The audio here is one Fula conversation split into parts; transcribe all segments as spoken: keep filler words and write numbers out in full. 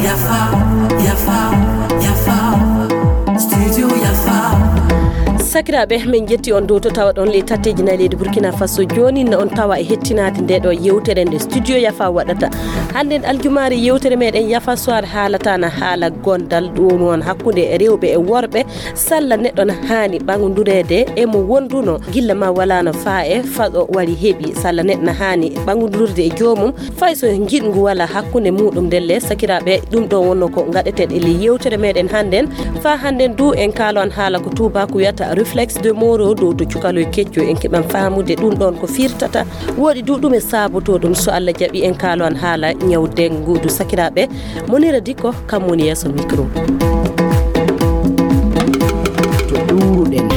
Yafa, yafa, yafa. Studio Yafa. Sakiraaɓe, min njetti on dow to tawaɗon ley tatteeji nayi leydi Burkina Faso. Jooni no on tawa e hettinaade nde ɗo yewtere nde Studio Yafa waɗata. Hannden aljumaare yewtere meɗen Yafa Soir haalata na haala gondal ɗum won hakkunde rewɓe e worɓe. Salla neɗɗo na haani ɓaŋndureede e mo wonduno gilla ma walaano faa e faɗo wari heɓi. Salla neɗɗo na haani ɓaŋndurde e joomum. Fay so njiɗngu wala hakkunde muɗum ndelle, sakiraaɓe, ɗum ɗo wonno ko ngaɗeten e ley yewtere meɗen hannden. Faa hannden du en kaalo an haala ko tuubaaku wiyata réflexe de Moro dow to cukaloy kecco. En keɓan faamude ɗum ɗon ko firtata. Woɗi du ɗum e saaboto ɗum so Allah jaɓi en kaalo an haala ñaw dengudu. Sakiraaɓe, Monira Dikko kam woni yeeso micro. To ɗowruɗen.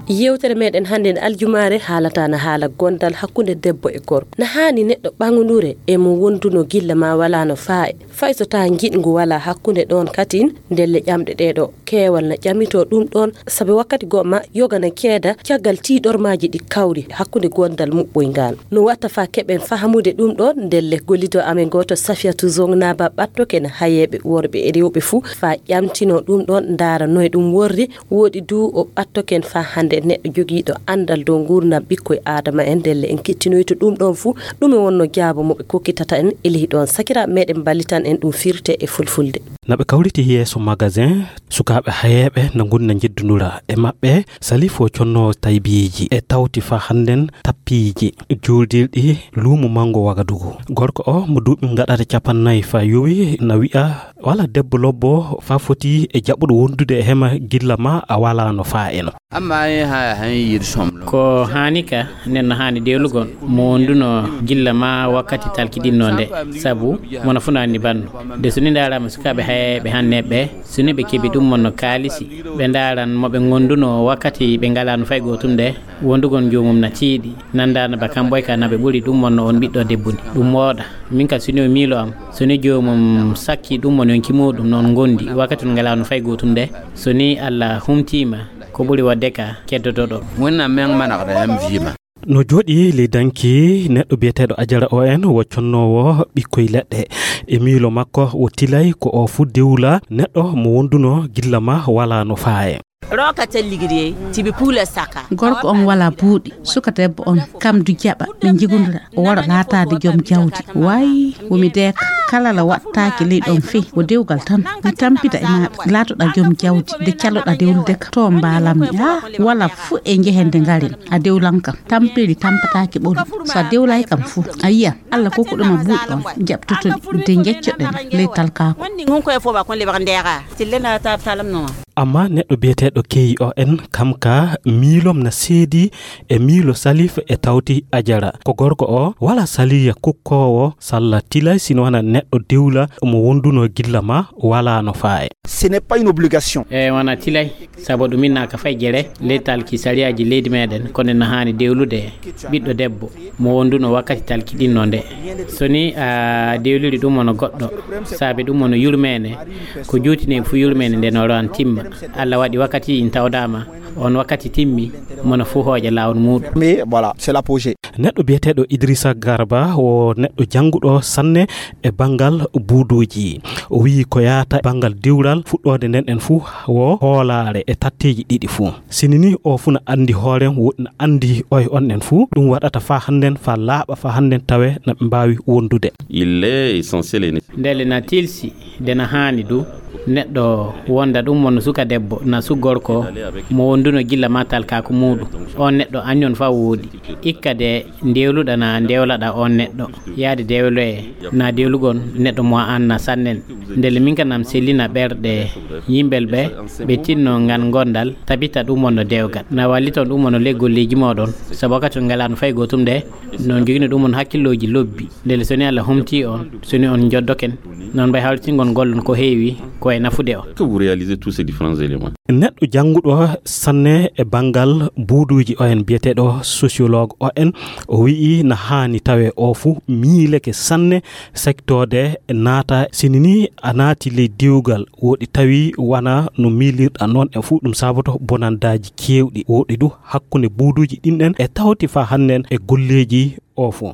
Yewtere meɗen hannden aljumaare haalata na haala gondal hakkunde debbo e gorko. Na haani neɗɗo ɓaŋndureede e mo wonduno gilla ma walaano faa e fay so taa njiɗngu wala hakkunde ɗon katin ndelle ƴamɗe ɗe ɗo. Keewal na ƴamito ɗum ɗon, sabi wakkati goo ma yoga na ceeda caggal tiiɗormaaji ɗi kawri hakkunde gondal muɓɓoyngal. No watta faa keɓen fahamude ɗum ɗon, ndelle gollido amen gooto Safiyatu Zong Naba ɓattoken hayeeɓe worɓe e rewɓe fuu faa ƴamtino ɗum ɗon, ndaara noye ɗum worri. Woɗi du o ɓattoken faa hannde neɗɗo jogiiɗo anndal dow nguurndam ɓikkoy Aadama en, ndelle en kettinoyto ɗum ɗon fuu, ɗume wonno jaabo mo ɓe kokkitata en e ley ɗon. Sakiraaɓe meɗen mballitan en ɗum firte e fulfulde. Na ɓe kawriti yeeso magasin, sukaaɓe hayeeɓe na ngoni na njeddundura e maɓɓe. Salif o connoowo taybiiji e tawti faa hannden tappiiji juuldirɗi luumo manngo Wagadugu. Gorko o mo duuɓi ngaɗata cappannayi faa yowi na wi'a wala debbo lobbo faa foti e jaɓuɗo wondude e hema gilla ma a walaano faa eno. Amma yin haya han yir somlo. Ko haani ka, nen no haani dewlugol mo wonduno gilla ma wakkati talkiɗinno nde, sabu mona funaani banno. De so ni ndaaraama sukaaɓe hayeeɓe hanne ɓe, so ni ɓe keɓi ɗum mon no kaalisi, ɓe ndaaran mo ɓe ngonduno wakkati ɓe ngalaano fay gootum nde, wondugol joomum na tiiɗi, nandaano ba kamɓoy ka na ɓe ɓuri ɗum mon no on ɓiɗɗo debbo ni. Ɗum wooɗa. Min ka so ni o miilo am, so ni joomum sakki ɗum mon yonki muuɗum no on ngondi wakkati on ngalaano fay gootum nde, so ni Allah humtiima, ko ɓuri waɗde ka keddotoɗo. Wonna men manaqɗa M V ma. No jooɗi ley danki neɗɗo biyeteeɗo Ajara O N, wo connoowo ɓikkoy leɗɗe. E miilo makko, wo tilay ko o fu dewla neɗɗo mo wonduno gilla ma wala no faaye. Roka talligiri tibi pula saka. Gorko on wala buuɗi, suka debbo on kam du jaɓa ɓe njigundira, o wara laataade joom jawdi. Way, wo mi deeka, kala la waɗtaake ley ɗon fey, wo dewgal tan. Mi tampita e maaɗa, laatoɗa joom jawdi, de caloɗa dewlude ka, to mbaalammi. Ah, wala fu e njehende ngaren, a dewlan kam. Tampiri tampataake ɓolu. So a dewlay kam fu, a yiyan, Allah kokkuɗo ma buuɗi on, jaɓtoto ɗi, de njeccoɗen ley talkaaku. Wonni ngun koye fo ba kon le baka ndera. Tille na tab talam no. Amma neɗɗo biyeteeɗo K O N, kam ka miilom na seedi e miilo Salif e tawti Ajara. Ko gorko o, wala saliya kukkoowo, salla tilay, sino wana neɗɗo dewla mo wonduno gilla ma, wala no faaye. Ce n'est pas une obligation. E wana tilay, sabu ɗum inna ka fay jere, ley talki sariyaaji leydi meɗen, kono na haani dewlude ɓiɗɗo debbo mo wonduno wakkati talkiɗinno nde. So ni a dewliri ɗum ono goɗɗo, saabe ɗum ono yurmeene, ko juutine fu yurmeene nden oro an timma. Allah waɗi wakkati in tawdaama, on wakkati timmi, mono fu hooƴa laawol muuɗum. Mais voilà, c'est l'apogée. Neɗɗo biyeteeɗo Idrissa Garba wo neɗɗo jannguɗo sanne e banngal buuduuji. O wiyi ko yaata banngal diwral fuɗɗoode nden en fu wo hoolaare e tatteeji ɗiɗi fu. Sini ni o fu na anndi hoorem, woɗi na anndi oy on en fu. Ɗum waɗata faa hannden, faa laaɓa faa hannden tawe na ɓe mbaawi wondude. Il est essentiel et nécessaire. Ndelle na tilsi, de na haani du, neɗɗo wonda ɗum wonno suka debbo, na su gorko, mo wonduno gilla ma talkaaku muuɗum. On neɗɗo anyon faa wooɗi. Ikka de ndewluɗa na ndewlaɗa on neɗɗo. Yaade dewloye, na dewlugol neɗɗo mo an na sannen. Ndelle min ka nam sellina ɓerɗe yimɓel ɓe, ɓe tinno ngan gondal, tabita ɗum wonno dewgal. Na walliton ɗum wonno ley golleeji mooɗon. Sabu wakkati on ngalaano fay gootum de, non jogino ɗum on hakkillooji lobbi. Ndelle so ni Allah humti on, so ni on njoddoken, non mbay hawritingol gollon ko heewi, ko E nafude o. Que vous réalisez tous ces différents éléments. Neɗɗo jannguɗo sanne e banngal buuduuji O N, biyeteeɗo sociologue O N, o wi'i na haani tawe o fuu miileke sanne sektoode naata. Sini ni a naati ley diwgal, woɗi tawi wana no miilirɗa noon e fuu, ɗum saboto bonandaaji keewɗi. Woɗi du hakkunde buuduuji ɗin ɗen e tawti faa hannden e golleeji o fuu.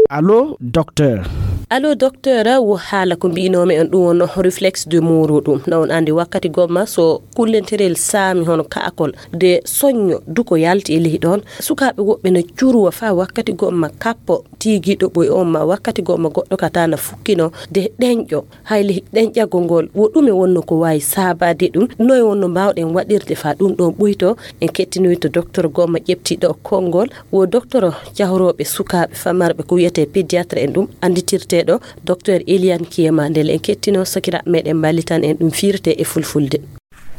Allo, docteur. Allo, docteur, wo haala ko mbi'inoomi on ɗum wonno réflexe de Moreau ɗum. Na on andi wakkati gomma so kullenterel saami hono kaakol de soñño duko yalti e lehi ɗon. Sukaaɓe woɓɓe na curuwa faa wakkati gomma kappo tiigiiɗo ɓoy on ma wakkati gomma goɗɗo kata na fukkino de ɗenƴo. Hay lehi ɗenƴagol ngol, wo ɗume wonno ko waawi saabaade ɗum? Noy wonno mbaawɗen waɗirde faa ɗum ɗon ɓoyto? En kettinoyto docteur gomma ƴeftiiɗo konngol, wo docteur cahorooɓe sukaaɓe famarɓe ko wiyetee pédiatre en ɗum annditirteeɗo docteur Eliane Kiema. Ndelle en kettino sakiraaɓe meɗen mballitan en ɗum fiirte e fulfulde.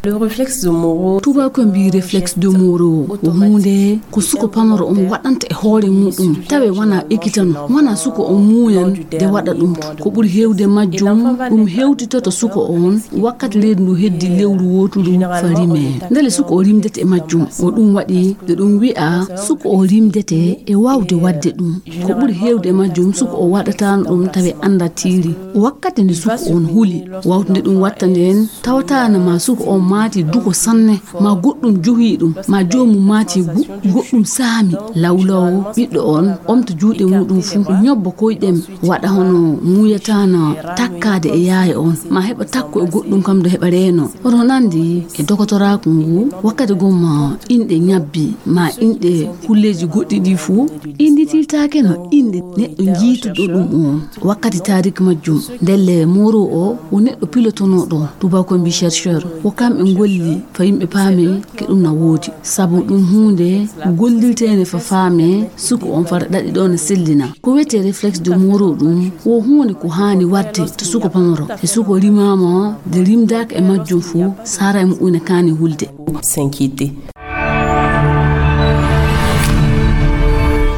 Le réflexe de Moreau. Tubaako mbi réflexe de Moreau ko huunde ko suko pamaro on waɗanta e hoore muɗum, tawe wana ekkitano, wana suko on muuyan de waɗa ɗum. Ko ɓuri heewde majjum, ɗum hewtitoto suko on wakkati reedu ndu heddi lewru wootudu fa rime. Ndele suko o rimdete e majjum, o ɗum waɗi de ɗum wi'a suko o rimdete e waawde waɗde ɗum. Ko ɓuri heewde e majjum, suko o waɗataano ɗum tawe annda tiiri. Wakkati nde suko on huli, wawtude ɗum watta nden, tawataana ma suko on maati duko sanne, ma goɗɗum juhii ɗum, ma joomum maati gu, goɗɗum saami. Lawlaw ɓiɗɗo on omta juuɗe muɗum fuu, ñobba koyɗem, waɗa hono muuyataana takkaade e yaaya on, ma heɓa takko e goɗɗum kam do heɓa reeno. Hono nandi e dokotoraaku ngu, wakkati gomma inɗe ñabbi, ma inɗe kulleeji goɗɗi ɗi fuu, innditirtaake no inɗe neɗɗo jiituɗo ɗum on. Wakkati taariik majjum, ndelle Moreau o wo neɗɗo pilotonooɗo, tubaako mbi chercheur, wo kamɓe ngolli fa yimɓe paame ke ɗum na woodi. Sabu ɗum huunde gollirteende fa faame, suko on fara ɗaɗi ɗo na sellina. Ko wiyetee réflexe de Moreau ɗum, wo huunde ko haani waɗde to suko pamaro. E suko rimaama, de rimdaaka e majjum fuu, saaray muɗum ina kaani hulde. S'inquiéter.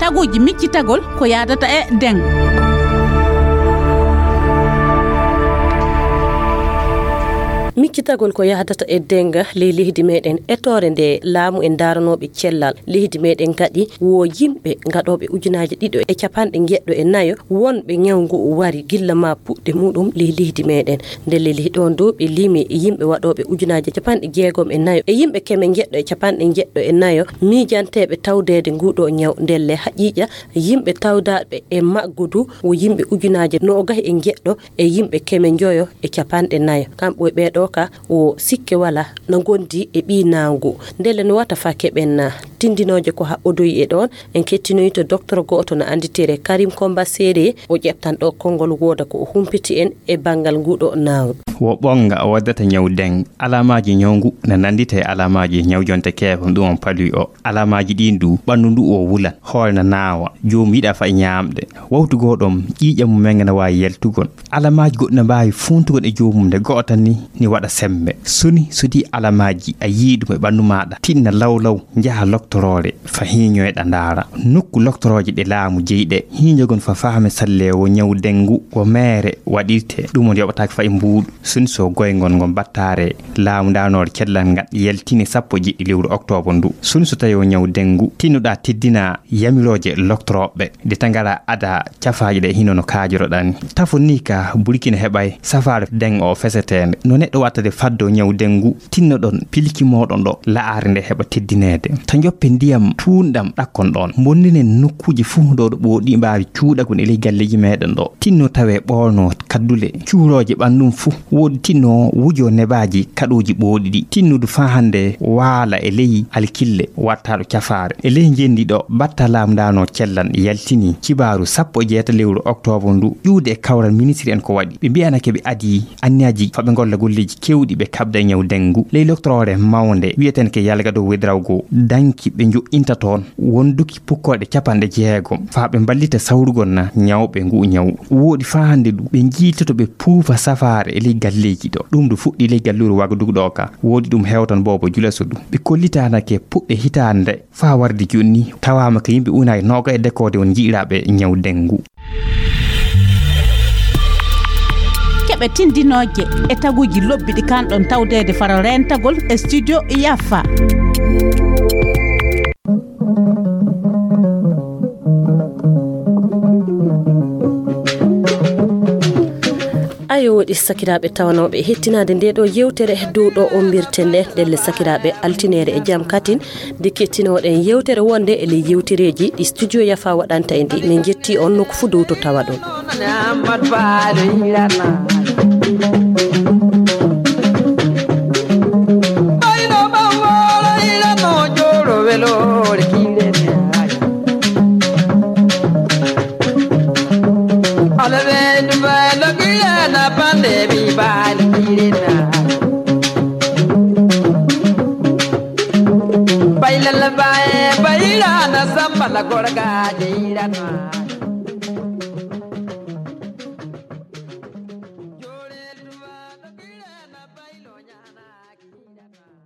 Taguuji miccitagol ko yaadata e deŋ. Miccitagol ko yaadata e deŋ ley leydi meɗen, etoore nde laamu en daaranooɓe cellal leydi meɗen ngaɗi, wo yimɓe ngaɗooɓe ujunaaje ɗiɗo e capanɗe njeɗɗo e nayo wonɓe ñaw ngu wari gilla ma puɗɗe muɗum ley leydi meɗen. Ndelle ley ɗon dow ɓe limi yimɓe waɗooɓe ujunaaje capanɗe jeegom e nayo e yimɓe keme njeɗɗo e capanɗe njeɗɗo e nayo miijanteeɓe tawdeede nguɗo ñaw. Ndelle haqiiqa yimɓe tawdaaɓe e maggu du wo yimɓe ujunaaje noogay e njeɗɗo e yimɓe keme njoyo e capanɗe nayo. Kamɓe ɓee ɗo ka wo sikke wala na ngondi e ɓii naangu. Ndelle no wata fa keɓen na tindinooje ko haɓɓodoyi e ɗon. En kettinoyto docteur gooto no annditire Karim Komba Sere, o ƴeftan ɗo konngol wooda ko o humpiti en e banngal nguɗo naawɗo. Wo ɓonnga o waddata ñaw deng. Alamaaji ñaw ngu na nanndita e alamaaji ñaw jonte keefam ɗum on paluy o. Alamaaji ɗin du, ɓanndu ndu o wulan, hoore na naawa, joomum yiɗa fa e ñaamɗe. Wawtu goo ɗon, ƴiiƴam mum men na waawi yeltugol. Alamaaji goɗɗi na mbaawi fuuntugol e joomum nde go'o tan ni, ni waɗa semmbe. Soni so di alamaaji a yii ɗum e ɓanndu maaɗa, tinna law law, njaha loktoroore, fa hiiñoyɗa ndaara. Nokku loktorooje ɗe laamu jeyi ɗe, hiiñogon fa faame salle wo ñaw dengu, wo meere waɗirte, ɗum on yoɓataake fa e mbuuɗu. Soni so goyngol ngol battaare laamu ndaanoore cellal ngal yaltini sappo e jeɗɗi lewru oktoobar ndu. Soni so tawi o ñaw dengu, tinnoɗaa teddina yamirooje loktorooɓe. Nde tagara ada cafaaje ɗe hino no kaajoroɗaa ni. Tafo ni ka Burkina heɓay safaare deng o feseteende. No neɗɗo wattade faddo ñaw dengu, tinnoɗon pilki mooɗon ɗo la'are nde heɓa teddineede. Ta njoppe ndiyam tuunɗam ɗakkon ɗon. Mbonninen nokkuuji fuu ɗo ɗo ɓooɗi mbaawi cuuɗagol e ley galleeji meɗen ɗo. Tinno tawe ɓoolno kaddule, cuurooje ɓanndum fuu. Woodi tinno wujo nebaaji kaɗooji ɓooɗi ɗi. Tinnudu faa hannde waala e ley alkille wattaaɗo cafaare. E ley njenndi ɗo, batta laamu ndaano cellan yaltini kibaaru sappo e jeetati lewru oktoobar ndu, ƴuwde e kawral ministri en ko waɗi. Ɓe mbiyanake ɓe adii anniyaaji fa ɓe ngolla golleeji keewɗi ɓe kaɓda e ñaw dengu. Ley loktoroore mawnde wiyetenke Yalgado Wedrawgo danki ɓe njo'inta toon wonduki pukkoɗe capanɗe jeegom faa ɓe mballita sawrugol na ñawɓe ngu ñaw. Wooɗi faa hannde du ɓe njiitoto ɓe puufa safaare e ley galleeji ɗo. Ɗum du fuɗɗi ley galluure Wagadugu ɗo ka. Wooɗi ɗum hewtan boobo Julaso du. Ɓe kollitanake puɗɗe hitaande faa warde jooni tawaama ko yimɓe unaay nooga e dekoode on nji'iraaɓe ñaw dengu. Keɓe e tindinooje e taguuji lobbi ɗi kanɗon tawdeede faro reentagol e studio Yafa. Ayo, woɗi sakiraaɓe tawanooɓe hettinaade nde ɗo yewtere dow ɗo o mbirten nde. Ndelle sakiraaɓe, altineere e jam katin, nde kettinooɗen yewtere wonde e ley yewtereeji ɗi studio Yafa waɗanta e ndi. Min njetti on nokku fuu dow to tawaɗon. Bailala bae, baila na samba la gorga de irana.